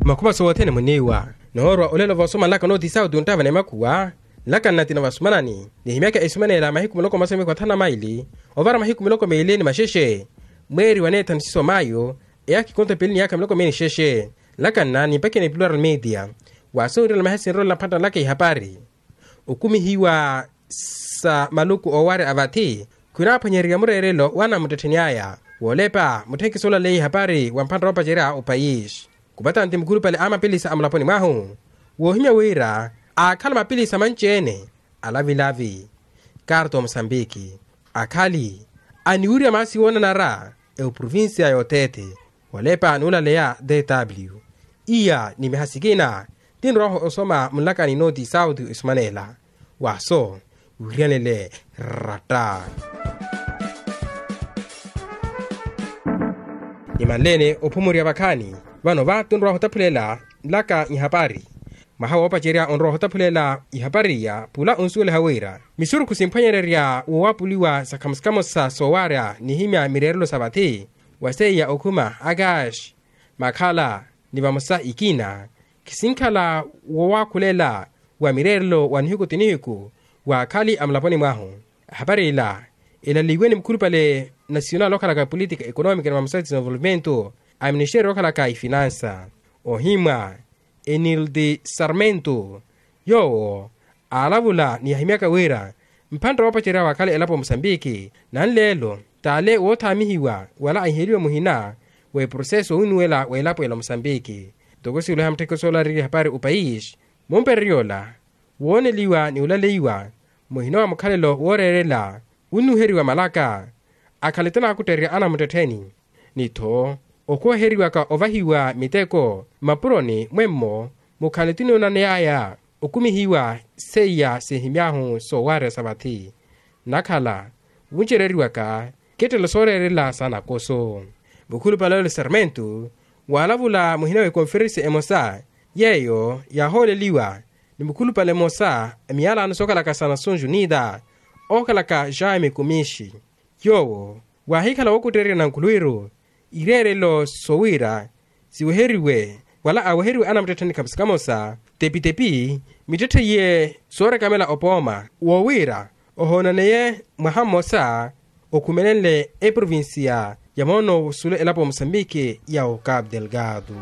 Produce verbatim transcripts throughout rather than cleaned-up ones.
Makhuma sowothene muniiwa noorwa olelo voosoma nlaka nooti sauti onttava ni makhuwa. Nlaka nnatina vasumanani nihimyaka esumanela mahiku miloko masomi khwathana maili ovara mahiku miloko miili ni maxexe. Mweeri wa neethanu siso mayo eyaakhi konto pili ni yaakha miloko miili ni xexe. Nlaka nna nimpakhe ni plural media. Waasowiirela mahesinrola mphantta nlaka ihapari okumihiwa sa maluku oowarya a vathi. Khwinaaphwanyererya mureerelo wa anamuttettheni aya woolepa mutthekiso olaleiye ihapari wa mphantta oopacerya opayisi. Kupatanti mukhulupale a mapilisa a mulaponi mwahu woohimya wira aakhala mapilisa manci-ene alavilavi karto musambiki akhali aniwirya maasi woonanara eprovincia yoteethe. Walepa nuulaleya dw iya ni miha sikina tinroho osoma munlakani nooti sauti esumanela waso wiryanele ratta. Nimanleene ophumurya vakhaani vano va tunrowa ohotaphulela nlaka ihapari. Mwaha woopacerya onrowa ohotaphulela ihapari iya pula onsuweliha wira misurukhu simphwanyererya woowapuliwa sa khamosa-khamosa soowarya nihimya mireerelo sa vathi wa seiya okhuma akaxi makhala ni vamosa ikina khisinkhala woowakhulela wa mireerelo wa nihiku ti nihiku wa akhali a mulaponi mwahu. Ahapari ila elaleiwe ni mukhulupale nasionali okhalaka polítika economika ni vamosa desenvolvimento a ministeriyo okhalaka ifinansa ohimwa enildi sarmento. Yoowo aalavula ni yahimyaka wira mphantta woopacerya waakhale elapo musambiki nanleelo t'ale woothaamihiwa wala ahiheliwe muhina w'eproseso owinnuwela w'elapo ela musambiki. Ntoko siwuliha mutthekeso ola ariiri ehapari opayisi mumpererya ola wooneliwa ni olaleiwa muhina wa mukhalelo wooreerela winnuheriwa malaka akhale tinaakuttererya anamuttettheni ni-tho okhuweheriwaka ovahiwa miteko mmapuroni mwemmo mukhale tinoonaneyaya okumihiwa seiya sihimy'ahu soowarya sa vathi. Nnakhala wuncereriwaka kettelo sooreerela sa nakoso mukhulupale ole sarmento waalavula muhina w'ekonferensi emosa yeeyo yaahooleliwa ni mukhulupale mmosa miyalano sookhalaka sa nações unidas ookhalaka jaime kumixi. Yoowo waahikhala wookuttererya na nkhuluwiru ireerelo sowira siweheriwe wala aweheriwe anamuttettheni khamosa-khamosa tepitepi mittetthe iye soorekamela opooma woowira ohoonaneye mwaha mmosa okhumelenle eprovincia ya moono wosule elapo musambiki ya ocapo delgado.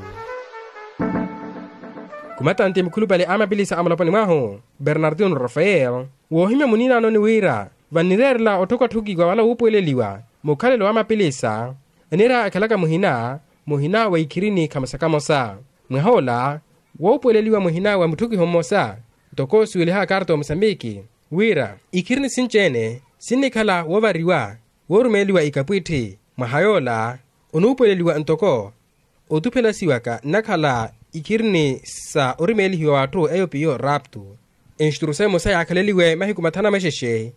Kumatanti mukhulupale a mapilisa a mulaponi mwahu bernardino rafael woohimya muniinaanoni wira vannireerela otthokwatthokiwa wala wuupuweleliwa mukhalelo wa mapilisa aniira akhalaka muhina muhina wa ikhirini khamosa-khamosa. Mwaha ola woopuweleliwa muhina wa mutthokiho mmosa ntoko siweliha akarta wa musambiki wira ikhirini sinci-ene sinnikhala woovariwa woorumeeliwa ikapwitthi mwaha yoola onuupuweleliwa ntoko otuphelasiwaka nnakhala ikhirini sa orumeelihiwa w'atthu eyo piyo rapto. Enstrusayo emosa yaakhaleliwe mahiku mathanu a maxexe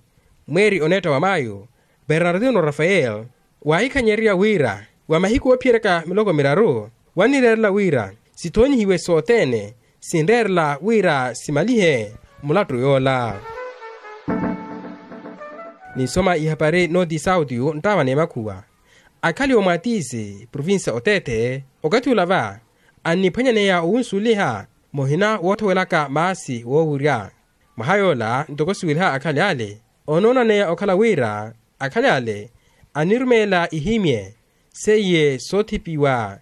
mweeri oneetta wa mayo bernardino rafael waahikhanyererya wira wa mahiku oophiyeryaka miloko miraru wannireerela wira sithoonyihiwe sothene sinreerela wira simalihe mulattu yoola. Ninsoma ihapari nooti sauti yu nttaava n'emakhuwa akhali omwatisi provincia oteethe okathi ula va anniphwanyaneya owunsuliha muhina woothowelaka maasi woowurya. Mwaha yoola ntoko siweliha akhali ale onoonaneya okhala wira akhali ale annirumeela ihimye seiye soothipiwa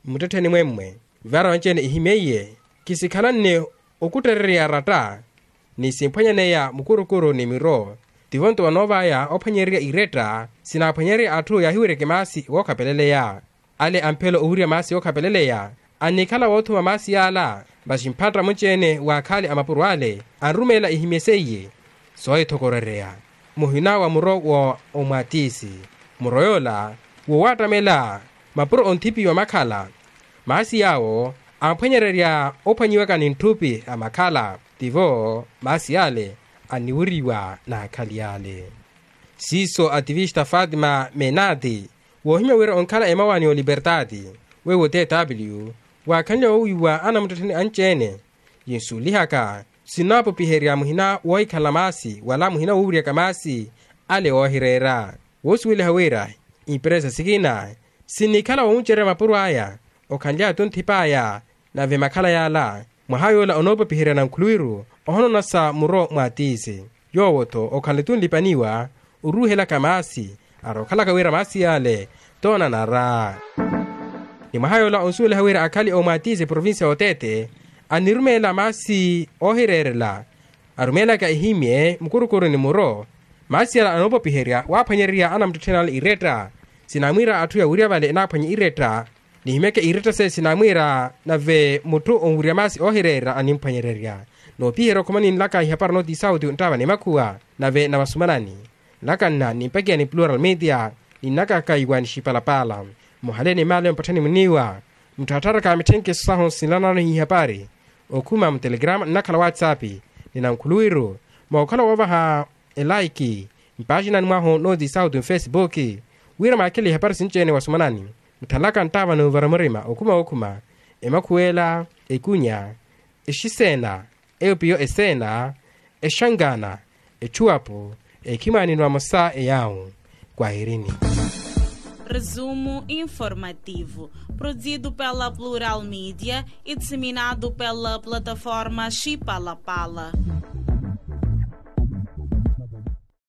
mmuttettheni mwemmwe vara onci-ene ihimye iye khisikhalanne okuttererya ratta ni simphwanyaneya mukurukuru ni miro. Tivo nto vanoovaya ophwanyererya iretta sinaaphwanyererya atthu yaahiweryeke maasi wookhapeleleya ale amphelo owirya maasi yookhapeleleya annikhala woothuma maasi yaala. Masi mphatta munci-ene wa akhaali a mapuro ale anrumeela ihimye seiye soohithokorereya muhina wa muro wa omwatisi muro yoola woowattamela mapuro onthipiwa makhala maasi yaawo amphwanyererya ophwanyiwaka ni ntthupi a makhala tivo maasi ale anniwiriwa n'akhali ale. Siiso ativista fatima menati woohimya wira onkhala emawa ni oliberdade wewo tw waakhanle woowiiwa anamuttettheni anci-ene yinsulihaka sinaapupiherya muhina woohikhala maasi wala muhina woowuryaka maasi ale oohireera woosuweliha wira imperesa sikina sinnikhala woomucererya mapuro aya okhanly'aya tunthip'aya Nave makhala yaala mwaha yoola onoopopiherya nankhuluwiru ohonoonasa muro mwaatiisi. Yoowo-tho okhanle tunlipaniwa oruuhelaka maasi, arookhalaka wira maasi yaale toonanara. Ni mwaha yoola onsuweliha wira akhali oomwaatiisi provincia y'oteete annirumeela maasi oohireerela, arumeelaka ehimye mukurukuru ni muro. Maasi yala anoopopiherya waaphwanyererya anamuttettheni ale iretta. Sinamwiira atthu yawirya vale enaaphwanye iretta, nihimyeke iretta seye sinamwiira. Nave mutthu onwirya maasi oohireerya animphwanyererya. Noopiherya okhuma ninlaka ihapari nooti isauti nttaava ni makhuwa nave na masumanani. Nlaka nna nimpakiya ni plural media, ninnakaka iwa nixipalapaala. Muhale ni maale mpattheni muniiwa. Mutthattharaka mitthenkesi sahu sinlanano ihapari okhuma mutelegrama nnakhala whatsapp, ni nankhuluwiru mookhala woovaha elaiki mpaaxinani mwahu nooti sauti mfesipuki, wira mwakhele ihapari sinci-ene wasumanani. Mutthalaka nttaava n'uvara murima okhuma okhuma emakhuwela, ekunya, exiseena, eupiyo eseena, exangaana, etchuwapu, ekhimwaanini vamosa eyaawu. Kwahirini. Resumo informativo, produzido pela Plural Media e disseminado pela plataforma Chipalapala.